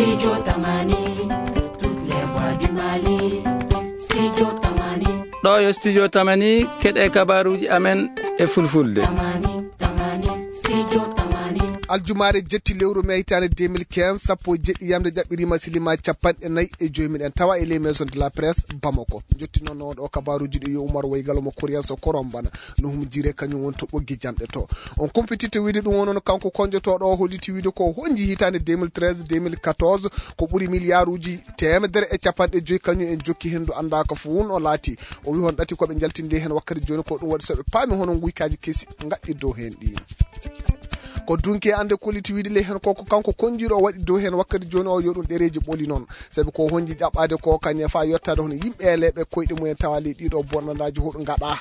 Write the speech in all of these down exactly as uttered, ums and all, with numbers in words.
Studio Tamani, toutes les voix du Mali. Studio Tamani. Ɗoo yo Studio Tamani, keɗee kabaaruuji amen e fulfulde. Tamani, Tamani, Studio Tamani. Aljumaare jetti lewru mee hitaande deux mille quinze, sappo e jeɗɗi yamnde ƴaɓɓiriima silimaa capanɗe nayi e joy. Miɗen tawa e ley Maison de la Presse Bamako. Njottinoonoo ɗoo kabaaruuji ɗi yo Umar Waygalo mo Koriyanso Korombana. No humjire kañum woni to ɓoggi jamɗe to. On kumpititte wiide ɗum woni no kanko konjotooɗo o holliti wiide ko honji hitaande deux mille treize, deux mille quatorze, ko ɓuri miliyaaruuji teemedere e capanɗe joy kañum en jokki henndu anndaaka fof won o laati. O wi hon ɗati ko ɓe njaltinde heen wakkati jooni ko ɗum waɗi so ɓe paami hono nguykaaji kesi ngaɗɗi dow heen ɗi. Ko dunki e annde kolliti wiide ley heen ko, ko kanko konjiiɗo o waɗi dow heen wakkati jooni o yo ɗum ɗereeji ɓoli noon. Sabi ko honji ƴaɓɓaade ko kañe faa yottaade hono yimɓe e leeɓe koyɗe mumen tawa ley ɗiɗo bonnandaaji hoɗo ngaɗa.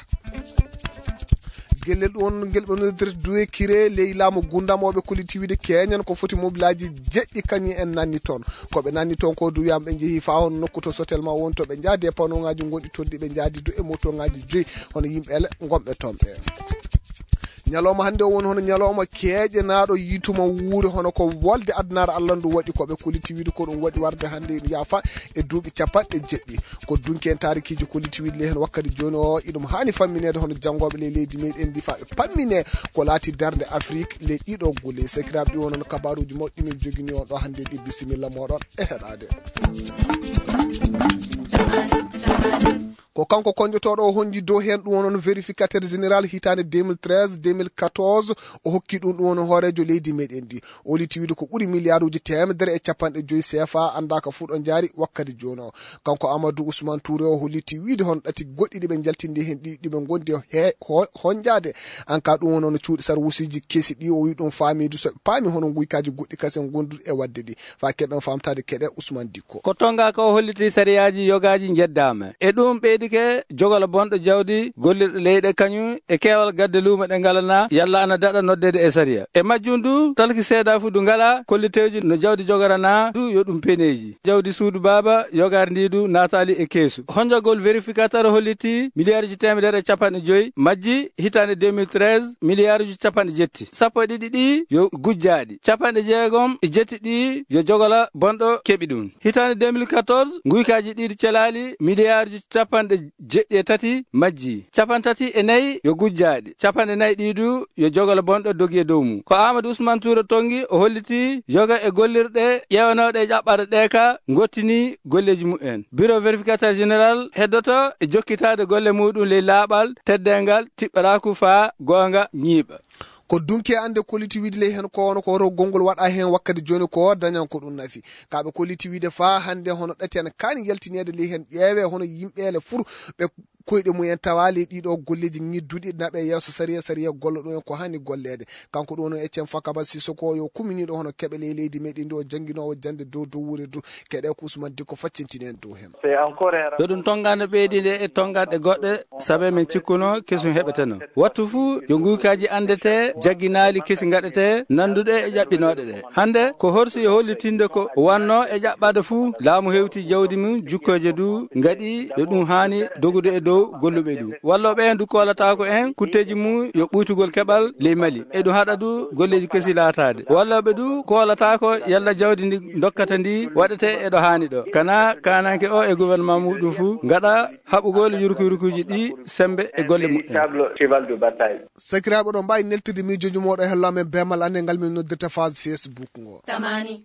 Gellel ɗum won ngel ɓe noddirta duwe kire ley laamu gundamooɓe kolliti wiide keñan ko foti mobilaaji jeɗɗi kañum en nanni toon. Ko ɓe nanni toon ko du wiyaama ɓe njehi faa hono nokku to sotel ma won to ɓe njaadi e panongaaji gonɗi toon ɗi ɓe njaadi du e motongaaji joyi hono yimɓe ele ngonɓe toon ɓe. Ñalawma hannde o woni hono ñalawma keeƴenaaɗo yiytuma wuure hono ko wolde addunaare Allah ndu waɗi ko ɓe kolliti wiide ko ɗum waɗi warde hannde yaafa e duuɓi capanɗe jeɗɗi. Ko dunki en taarikiiji kolliti wiide ley heen wakkati jooni o iɗum haani fammineede hono janngooɓe ley leydi meɗen ndi faa ɓe pammine ko laati darnde Afrik ley ɗiɗo gulle. Sakiraaɓe ɗi wonon kabaaruuji mawɗi min jogini on ɗo hannde ɗi bisimilla mooɗon e heɗaade. Ko kanko konjotooɗo o honji dow heen ɗum wonon vérificateur général hitaande deux mille treize, deux mille quatorze, o hokki ɗum ɗum wonon hooreejo leydi meɗen ndi. O holliti wiide ko ɓuri miliyaaruuji teemedere e capanɗe joy C F A anndaaka fuu ɗo njaari wakkati jooni o. Kanko Amadou Ousmane Touré o holliti wiide hono ɗati goɗɗi ɗi ɓe njaltindi heen ɗi, ɗi ɓe ngondi he-, ho-, honjaade. An ka ɗum wono no cuuɗi sarwusiiji kesi ɗi, o wi ɗum faamidu so ɓe paami hono nguykaaji goɗɗi kasen gonduɗi e waɗde ɗi. Faa keɓen faamtaade keɗe Ousmane Dikko. Ko Tonga ka o holliti sariyaaji yogaaji njeddaama. E ɗum ɓeydike jogolo bonɗo jawdi gollirɗo leyɗe kañum e keewal gadde luumo ɗe ngalanaa, yalla ana daɗa noddeede e sariya. E majjum du, talki seedaa fu du ngalaa kolliteeji no jawdi jogoranaa du yo ɗum peneeji. Jawdi suudu baaba yogaari ndi du naataali e keesu. Honjagol vérificateur holliti miliyaaruuji teemedere e capanɗe joy majji hitaande deux mille treize, miliyaaruuji capanɗe jetti. Sappo e ɗiɗi ɗi yo gujjaaɗi. Capanɗe jeegom e jetti ɗi yo jogola bonɗo keɓi ɗum. Hitaande deux mille quatorze, nguykaaji ɗiɗi celaali miliyaaruuji capanɗe jeɗɗi e tati majji. Capantati e nayi yo gujjaaɗi. Capanɗe nayi ɗii du yo jogolo bonɗo dogi e dow mum. Ko Amadou Ousmane Touré tonngi, o holliti yoga e gollirɗe ƴeewanooɗe e ƴaɓɓaade ɗee ka ngottini golleeji mumen. Bureau vérificateur général heddoto e jokkitaade golle muɗum ley laaɓal, teddeengal, tiɓɓaraaku faa goonga ñiiɓa. Ko dunki e annde kolliti wiide ley heen ko wano ko rogol ngol waɗa heen wakkati jooni ko dañan ko ɗum nafi. Ka ɓe kolliti wiide faa hannde hono ɗati ana kaani yaltineede ley heen ƴeewe hono yimɓeele fur ɓe koyɗe mumen tawaali e ɗiɗo golleeji ñidduɗi naɓe yeeso sariya, sariya golla ɗum en ko haani golleede. Kanko ɗum woni Etienne Fakaba Sissoko yo kuminiiɗo hono keɓe ley leydi meɗen ndi o jannginoowo jannde dow dow wuure du keɗe ko Ousmane Dikko faccintini en dow heen. Yo ɗum tonngande ɓeydinde e tonnganɗe goɗɗe sabe men cikkuno kesum heɓeteno. Wattu fuu yo nguykaaji anndete jagginaali kesi ngaɗete nannduɗe e ƴaɓɓinooɗe ɗe. Hannde ko horsi e hollitinde ko wannoo e ƴaɓɓaade fuu, laamu hewti jawdi mum, jukkooje du ngaɗi yo ɗum haani dogude e dow golluɓe ɗum. Wallooɓe en du koolataako en kutteeji mum yo ɓuytugol keɓal ley Mali. E ɗum haɗa du golleeji kesi laataade. Wallooɓe du koolataako yalla jawdi ndi ndokkata ndi waɗete e ɗo haani ɗo. Kana kaananke o e gouvernement muɗum fuu ngaɗa haɓugol yurkuyurkuuji ɗi sembe e golle mumen. Sakiraaɓe, oɗon mbaawi neltude miijooji mooɗon e hello amen beemal annde ngal min noddirta page Facebook ngo. Tamani.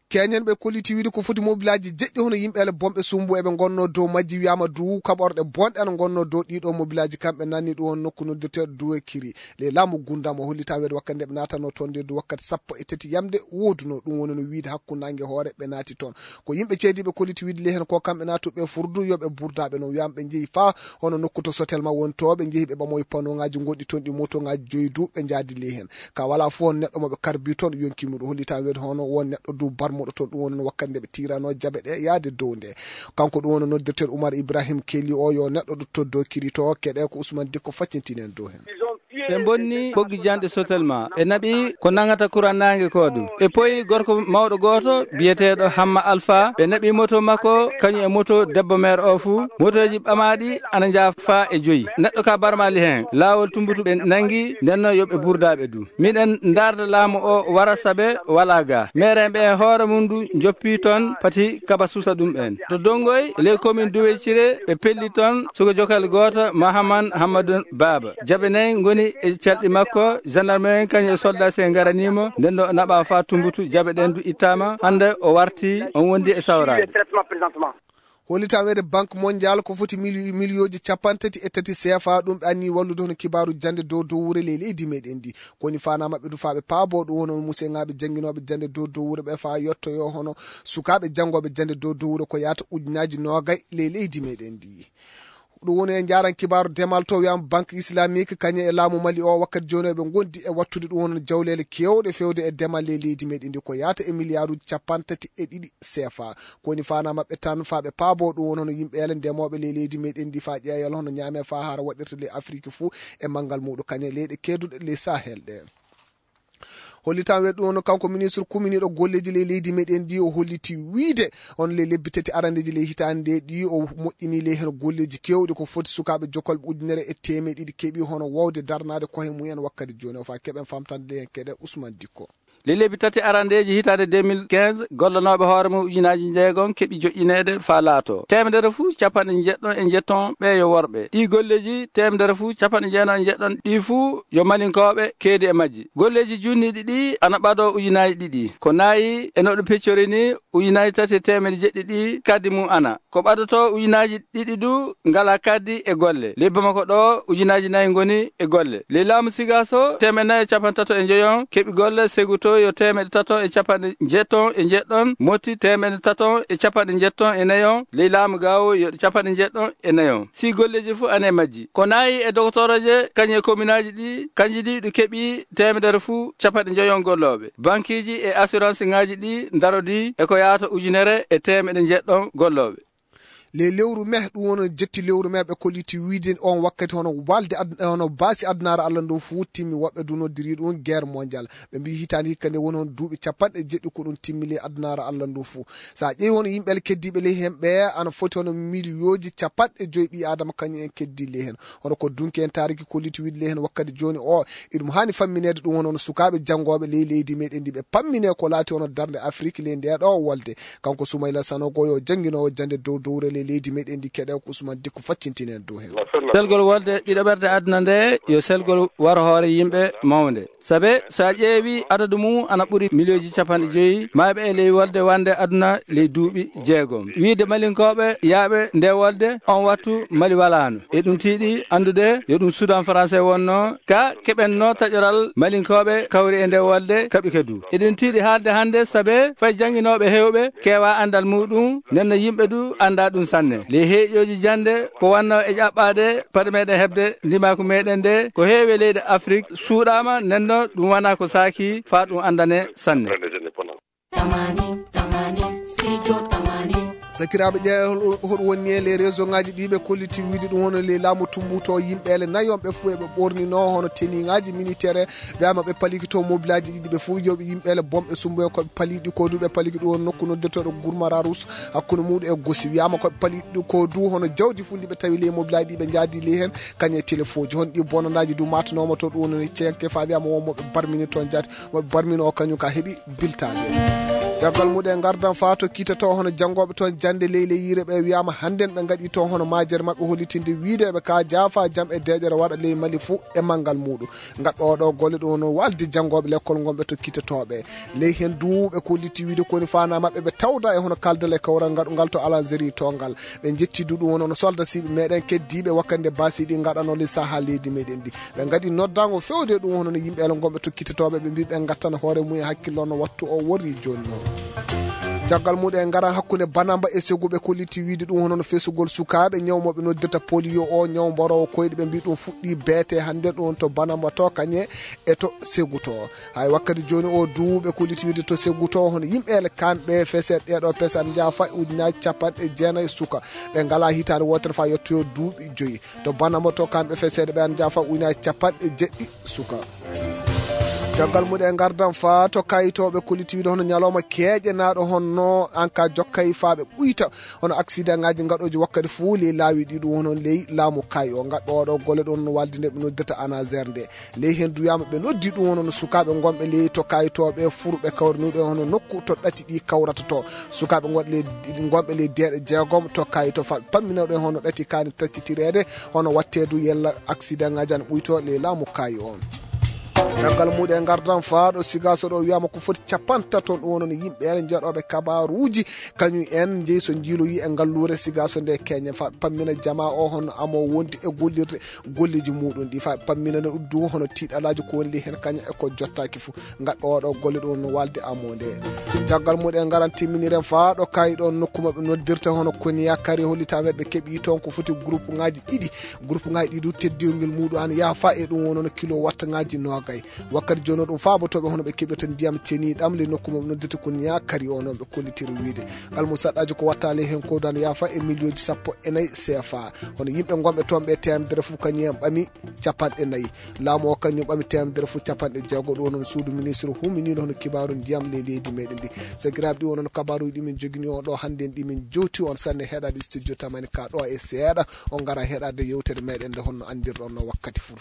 Keñen ɓe kolliti wiide ko foti mobilaaji jeɗɗi hono yimɓe ele bomɓe sumbu eɓe ngonnoo dow majji wiyaama du kaɓorɗe bonɗe ana ngonnoo dow ɗiɗo mobilaaji kamɓe nanni ɗum on nokku noddirteeɗo Duwe Kiri. Ley laamu Gundam o hollitaa weede wakkati nde ɓe naatanoo toon nde du wakkati sappo e tati yamde woodunoo. Ɗum woni no wiide hakkunde naange hoore ɓe naati toon. Ko yimɓe ceediiɓe kolliti wiide ley heen ko kamɓe naatuɓe furdu yo ɓe burdaaɓe no wiyaama ɓe njehi faa hono nokku to sotel ma woni to ɓe njehi ɓe ɓamoyi panongaaji gonɗi toon ɗi motongaaji joyi du ɓe njaadi ley heen. Ka walaa fof on neɗɗo mo ɓe karbi toon yonki mum ɗo hollitaa weede hono won neɗɗo du barmuɗo toon ɗum woni no wakkati nde ɓe tiiranoo jabe ɗe yaade dow nde. Kanko ɗum woni noddirteeɗo Umar Ibrahim Keli o yo neɗɗo ɗo to dow kiri to keɗe ko Ousmane Dikko faccintini en dow heen. Ɓe mbonni ɓoggi janɗe sotel maa. Ɓe naɓi ko nangata kuran naange koo du. Ɓe poyi gorko mawɗo gooto biyeteeɗo Hamma Alfa. Ɓe naɓi moto makko, kañum e moto debbo meer oo fuu. Motooji ɓamaaɗi ana njaa faa e joyi. Neɗɗo kaa barmaali heen. Laawol Tumbutu ɓe nanngi, nden non yo ɓe burdaaɓe du. Miɗen ndaarda laamu oo wara sabe walaa gaa. Meerenɓe en hoore mum du njoppii ton pati kaba susa ɗum en. To Donngoy, ley komin Duwecire, ɓe pelli ton suka jokal gooto, Mahaman Hammadun Baaba. Jaɓe nayi ngoni e calɗi makko, jandarme en kañum e soldaasi en ngaranii mo, nden non o naɓaa faa Tumbutu, jaɓe ɗen du ittaama. Hannde o warti, on wondi e sawraade. Hollitaa weede Banque Mondiale ko foti mili-, miliyooji cappanɗe tati e tati C F A, ɗum ɓe annii wallude hono kibaaru jannde dow dow wuro ley leydi meɗen ndi. Ko woni faanaa maɓɓe du faa ɓe paaboo ɗum hono museŋaaɓe jannginooɓe jannde dow dow wuro ɓe faa yottoyoo hono sukaaɓe janngooɓe jannde dow dow wuro ko yaata ujunaaji noogay ley leydi meɗen ndi. Ɗum woni e njaaran kibaaru demal to wiyaama Banque Islamique kañum e laamu Mali o wakkati jooni eɓe ngondi e wattude ɗum hono jawleele keewɗe feewde e demal ley leydi meɗen ndi ko yaata e miliyaaruuji cappanɗe tati e ɗiɗi C F A. Ko woni faanaa maɓɓe tan faa ɓe paaboo ɗum woni hono yimɓe ele ndemooɓe ley leydi meɗen ndi faa ƴeeyal hono ñaamee faa hara waɗirta ley Afiriki fuu e manngal muuɗum kañum e leyɗe keeduɗe ley Sahel ɗe. Hollitaa weede ɗum hono kanko ministre kuminiiɗo golleeji ley leydi meɗen ndi o holliti wiide hono ley lebbi tati arandeeji ley hitaande nde ɗi o moƴƴinii ley heno golleeji keewɗi ko foti sukaaɓe jokkolɓe ujunere e teemeɗe ɗiɗi keɓi hono wowde darnaade kohe mumen wakkati jooni o faa keɓen famtande ley hen keɗe Ousmane Dikko. Ley lebbi tati arandeeji hitaande deux mille quinze, gollanooɓe hoore mum ujunaaji njeegom keɓi joƴƴineede faa laatoo teemedere fuu capanɗe njeɗɗon e njeɗɗon ɓee yo worɓe. Ɗii golleeji teemedere fuu capanɗe jeenay e njeɗɗon ɗii fuu yo malinkooɓe keedi e majji. Golleeji junniiɗi ɗii ana ɓadoo ujunaaji ɗiɗi. Ko nayi e no ɗum peccori nii, ujunaaji tati e teemedde jeɗɗi ɗii kaddi mum ana. Ko ɓadotoo ujunaaji ɗiɗi du ngalaa kaddi e golle. Ley Bamako ɗoo, ujunaaji nayi ngoni e golle. Ley laamu Sigaaso, teemeɗɗe nayi e capanɗe tato e njoyon keɓi golle, Seguto yo teemeɗɗe tato e capanɗe njeɗɗon e njeɗɗon, Motti teemeɗɗe tato e capanɗe njeɗɗon e nayon, ley laamu Gaawo yo capanɗe njeɗɗon e nayon. Sii golleeji fuu ana e majji. Ko nayi e dogotorooje kañum e kominaaji ɗii, kanji ɗi ɗi keɓi teemedere fuu capanɗe njoyon gollooɓe. Bankiiji e assuranceŋaaji ɗii ndarodii e ko yaata ujunere e teemeɗe njeɗɗon gollooɓe. Ley lewru mee, ɗum woni jetti lewru mee, ɓe kolliti wiide on wakkati hono walde ad-, hono baasi adunaaru Alla ndu fuu timmi, woɓɓe du noddirii ɗum guerre mondiale. Ɓe mbii hitaande hikka nde woni hono duuɓi capanɗe jeɗɗi ko ɗum timmi ley adunaaru Alla ndu fuu. So a ƴeewi hono yimɓe keddiiɓe ley heen ɓe, ana foti hono miliyooji capanɗe joy ɓii Aadama kañum en keddii ley heen. Hono ko dunki en taariki kolliti wiide ley heen wakkati jooni o, iɗum haani fammineede ɗum hono, hono sukaaɓe janngooɓe ley leydi meɗen ndi ɓe pamminee ko laati hono darnde Afiriki ley ndee ɗoo wolde. Kanko Sumayla Sanogo yo jannginoowo jannde dow dowre ley leydi meɗen ndi keɗe ko Usman Dikko faccintini en dow heen. Selgol wolde ɗiɗaɓerde aduna nde yo selgol waro hoore yimɓe mawnde. Sabe so a ƴeewi adadu mum ana ɓuri miliyooji capanɗe joyi maayɓe e ley wolde wande aduna ley duuɓi jeegom. Wiide malinkooɓe yaaɓe nde wolde on wattu Mali walaano. Eɗum tiiɗi anndude yo ɗum Sudan Français wonno ka keɓenno taƴoral malinkooɓe kawri e nde wolde kaɓike du. Eɗum tiiɗi haalde hannde sabe fay jannginooɓe heewɓe keewaa anndal muuɗum, nden non yimɓe du anndaa ɗum sanne. Ley heeƴooji jannde ko wannoo e ƴaɓɓaade paɗe meɗen heɓde ndimaaku meɗen nde ko heewi e leyɗe Afrik suuɗaama, nden non ɗum wanaa ko saakii faa ɗum anndane sanne. Tamani, tamani, studio tamani. Sakiraaɓe, ƴeewa hol-, hoɗum woni e ley réseau ŋaaji ɗi ɓe kolliti wiide ɗum hono ley laamu Tumbutu o yimɓe ele nayon ɓe fuu eɓe ɓorninoo hono teniŋaaji militaire. Wiyaama ɓe paliki to mobilaaji ɗiɗi ɓe fuu yo ɓe yimɓe ele bomɓe sumbu en ko ɓe paliɗi ko du ɓe paliki ɗum hono nokku noddetooɗo Gurmara Rus hakkunde muuɗum e Gosi. Wiyaama ko ɓe paliɗi ko du hono jawdi fuu ndi ɓe tawi ley mobilaaji ɗi ɓe njaadi ley heen kañum e telefooji. Hono ɗi bonandaaji du maatanooma to ɗum woni ceŋke faa wiyaama won mo ɓe barmini toon jaati. Mo ɓe barmino o kañum ka heɓi biltaade. Caggal muɗum en ngardan faa to kiita to hono janngooɓe toon jannde ley ley yiire ɓe wiyaama hannden ɓe ngaɗi to hono maajere maɓɓe hollitinde wiide eɓe kaa jaafa jam e deeƴere waɗa ley Mali fuu e manngal muuɗum. Ngaɗɓe oo ɗoo golle ɗum hono walde janngooɓe lekkol ngonɓe to kiita to ɓe. Ley heen du ɓe kolliti wiide ko woni faanaa maɓɓe ɓe tawda e hono kaldal e kawral ngaɗungal to Alanzeri to ngal. Ɓe njetti du ɗum woni hono soldasiiɓe meɗen keddiiɓe wakkati nde baasi ɗi ngaɗanoo ley sahaa leydi meɗen ndi. Ɓe ngaɗi noddaango feewde ɗum hono no yimɓe ele ngonɓe to kiitotooɓe ɓe mbii ɓe ngattana hoore mum e hakkillo no wattu o worri jooni noon. Caggal muuɗum en ngaran hakkunde Banamba e Segu, ɓe kolliti wiide ɗum hono no fesugol sukaaɓe ñaw mo ɓe noddirta polio o, ñaw mboroowo koyɗe, ɓe mbii ɗum fuɗɗii beetee hannde ɗum to Banamba to kañe e to Segu to. Hay wakkati jooni o duu ɓe kolliti wiide to Segu to hono yimɓe ele kamɓe feseeɓe ɗeeɗo pese ana njaha faa e ujunaaji capanɗe jeenayi suka ɓe ngalaa hitaande wootere faa yottoyoo duuɓi joyi. To Banamba to kamɓe feseede ɓe ana njaha faa ujunaaji capanɗe jeɗɗi suka. Caggal muuɗum en ngardan faa to kayitooɓe kolliti wiide hono ñalawma keeƴenaaɗo honno an ka jokkay faa ɓe ɓuyta hono aksidaŋaaji ngaɗooji wakkati fuu ley laawi ɗi ɗum hono ley laamu kay o ngaɗɗo oɗo golle ɗum hono walde nde ɓe noddirta anaser nde. Ley heen duu wiyaama ɓe noddi ɗum hono no sukaaɓe ngonɓe ley to kayitooɓe furɓe kawrinuɓe hono nokku to ɗati ɗi kawrata to. Sukaaɓe ngonɓe ley, ngonɓe ley deeɗe jeegom to kayito faa ɓe pamminoo ɗum hono ɗati kaani taccitireede hono waɗtee duu yella aksidaŋaaji ana ɓuytoo ley laamu kaayi on. Caggal muuɗum en ngardan faa ɗo Sigaaso ɗo wiyaama ko foti capantato ɗum wonno no yimɓe en njeɗooɓe kabaaruuji kañum en njeyi so njiiloyii e ngalluure Sigaaso nde keñen faa ɓe pammina jamaa o hono amoo wondi e gollirde golleeji muuɗum ɗi faa ɓe pammina no duu hono tiiɗalaaji ko woni ley heen kañum e ko jottaaki fuu. Ngaɗɗo oɗo golle ɗum no walde amoo nde. Caggal muuɗum en ngaran timminiren faa ɗo kaayi ɗo nokku maɓɓe noddirta hono Koniya Kari hollitaa men ɓe keɓii toon ko foti groupe ŋaaji ɗiɗi. Groupe ŋaaji ɗiɗi duu teddiingol muuɗum ana yaha faa e ɗum wonno no kilo wattaŋaaji noogay. Wakkati jooni o ɗum faabotooɓe hono ɓe keɓirta ndiyam ceniiɗam ley nokku maɓɓe noddirta Koniya Kari o noon ɓe kollitiri wiide. Ngal mum saɗɗaaji ko watta ley heen ko duu ana yaha faa e miliyonji sappo e nayi C F A. Hono yimɓe ngonɓe toon ɓe teemedere fuu kañum en ɓami capanɗe nayi. Laamu o kañum ɓami teemedere fuu capanɗe jeego. Ɗum wonno no suudu ministre huminiiɗo hono kibaaru ndiyam ley leydi meɗen ndi. Sakiraaɓe, ɗi wonno no kabaaruuji ɗi min joginii on ɗo hannde en ɗi min jowti on sanne heɗaade studio tamani ka ɗo e seeɗa on ngaran heɗaade yewtere meɗen nde honno anndirɗon no wakkati fuu.